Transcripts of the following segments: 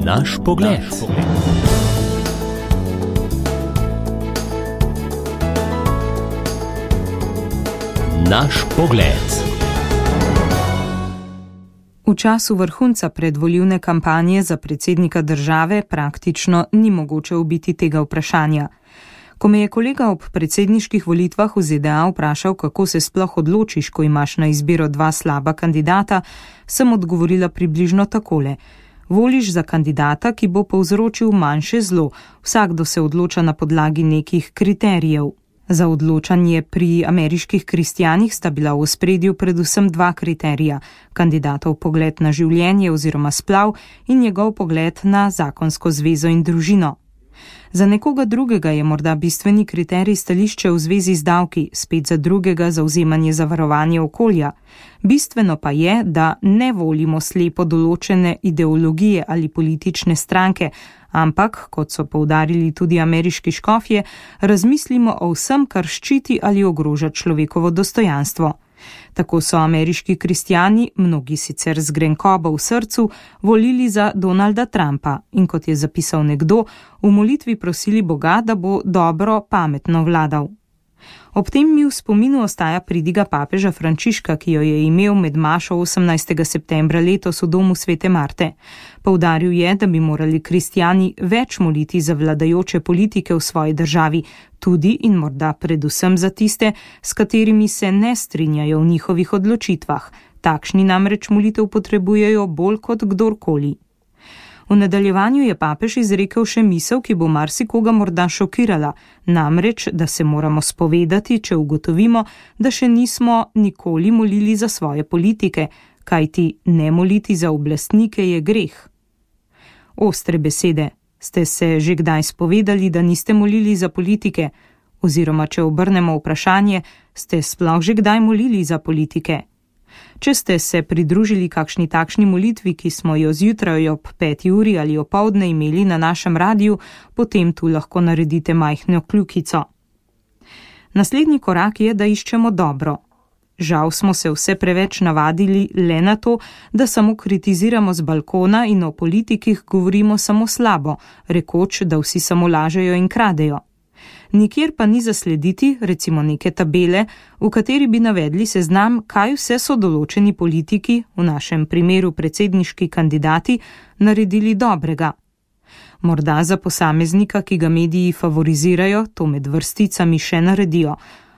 Naš pogled. Naš pogled. V času vrhunca predvolilne kampanje za predsednika države praktično ni mogoče ubiti tega vprašanja. Ko me je kolega ob predsedniških volitvah v ZDA vprašal, kako se sploh odločiš, ko imaš na izbiro dva slaba kandidata, sem odgovorila približno takole. Voliš za kandidata, ki bo povzročil manjše zlo, vsakdo se odloča na podlagi nekih kriterijev. Za odločanje pri ameriških kristjanih sta bila v ospredju predvsem dva kriterija, kandidatov pogled na življenje oziroma splav in njegov pogled na zakonsko zvezo in družino. Za nekoga drugega je morda bistveni kriterij stališče v zvezi z davki, spet za drugega zavzemanje za varovanje okolja. Bistveno pa je, da ne volimo slepo določene ideologije ali politične stranke, ampak, kot so poudarili tudi ameriški škofje, razmislimo o vsem, kar ščiti ali ogroža človekovo dostojanstvo. Tako so ameriški kristjani, mnogi sicer z grenkobo v srcu, volili za Donalda Trumpa in, kot je zapisal nekdo, v molitvi prosili Boga, da bo dobro, pametno vladal. Ob tem mi v spominu ostaja pridiga papeža Frančiška, ki jo je imel med mašo 18. septembra letos v domu Svete Marte. Poudaril je, da bi morali kristjani več moliti za vladajoče politike v svoji državi, tudi in morda predvsem za tiste, s katerimi se ne strinjajo v njihovih odločitvah. Takšni namreč molitev potrebujejo bolj kot kdorkoli. V nadaljevanju je papež izrekel še misel, ki bo marsikoga morda šokirala, namreč, da se moramo spovedati, če ugotovimo, da še nismo nikoli molili za svoje politike, kajti ne moliti za oblastnike je greh. Ostre besede. Ste se že kdaj spovedali, da niste molili za politike? Oziroma, če obrnemo vprašanje, ste sploh že kdaj molili za politike? Če ste se pridružili kakšni takšni molitvi, ki smo jo zjutraj ob 5. uri ali opoldne imeli na našem radiju, potem tu lahko naredite majhno kljukico. Naslednji korak je, da iščemo dobro. Žal smo se vse preveč navadili le na to, da samo kritiziramo z balkona in o politikih govorimo samo slabo, rekoč, da vsi samo lažejo in kradejo. Nikjer pa ni zaslediti, recimo neke tabele, v kateri bi navedli seznam, kaj vse so določeni politiki, v našem primeru predsedniški kandidati, naredili dobrega. Morda za posameznika, ki ga mediji favorizirajo, to med vrsticami še naredijo,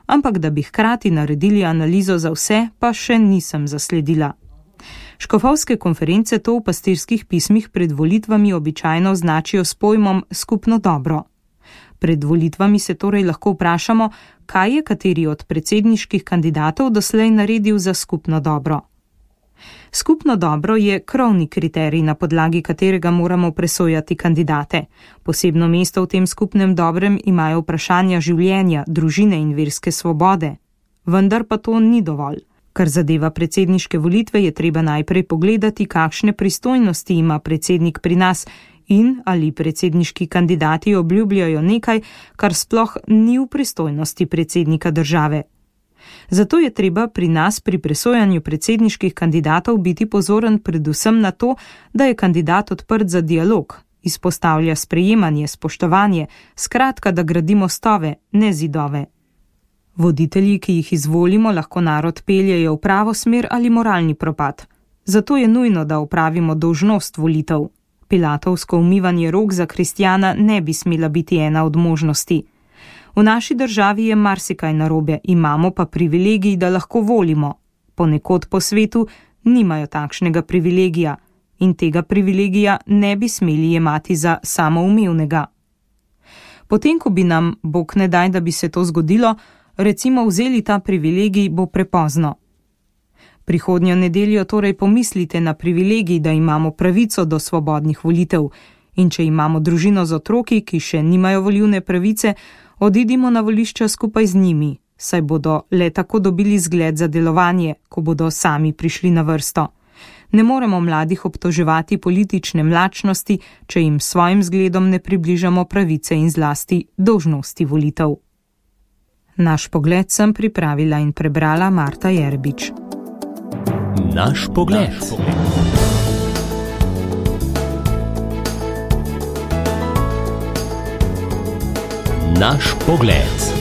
ampak da bi hkrati naredili analizo za vse, pa še nisem zasledila. Škofovske konference to v pastirskih pismih pred volitvami običajno označijo s pojmom skupno dobro. Pred volitvami se torej lahko vprašamo, kaj je kateri od predsedniških kandidatov doslej naredil za skupno dobro. Skupno dobro je krovni kriterij, na podlagi katerega moramo presojati kandidate. Posebno mesto v tem skupnem dobrem imajo vprašanja življenja, družine in verske svobode. Vendar pa to ni dovolj. Kar zadeva predsedniške volitve, je treba najprej pogledati, kakšne pristojnosti ima predsednik pri nas in ali predsedniški kandidati obljubljajo nekaj, kar sploh ni v pristojnosti predsednika države. Zato je treba pri nas pri presojanju predsedniških kandidatov biti pozoren predvsem na to, da je kandidat odprt za dialog, izpostavlja sprejemanje, spoštovanje, skratka, da gradimo stove, ne zidove. Voditelji, ki jih izvolimo, lahko narod peljejo v pravo smer ali moralni propad. Zato je nujno, da opravimo dolžnost volitev. Pilatovsko umivanje rok za kristjana ne bi smela biti ena od možnosti. V naši državi je marsikaj narobe, imamo pa privilegij, da lahko volimo. Ponekod po svetu nimajo takšnega privilegija in tega privilegija ne bi smeli jemati za samoumevnega. Potem, ko bi nam, Bog ne daj, da bi se to zgodilo, recimo vzeli ta privilegij, bo prepozno. Prihodnjo nedeljo torej pomislite na privilegij, da imamo pravico do svobodnih volitev in če imamo družino z otroki, ki še nimajo volilne pravice, odidimo na volišča skupaj z njimi, saj bodo le tako dobili zgled za delovanje, ko bodo sami prišli na vrsto. Ne moremo mladih obtoževati politične mlačnosti, če jim svojim zgledom ne približamo pravice in zlasti dolžnosti volitev. Naš pogled sem pripravila in prebrala Marta Jerbič. Naš pogled. Naš pogled.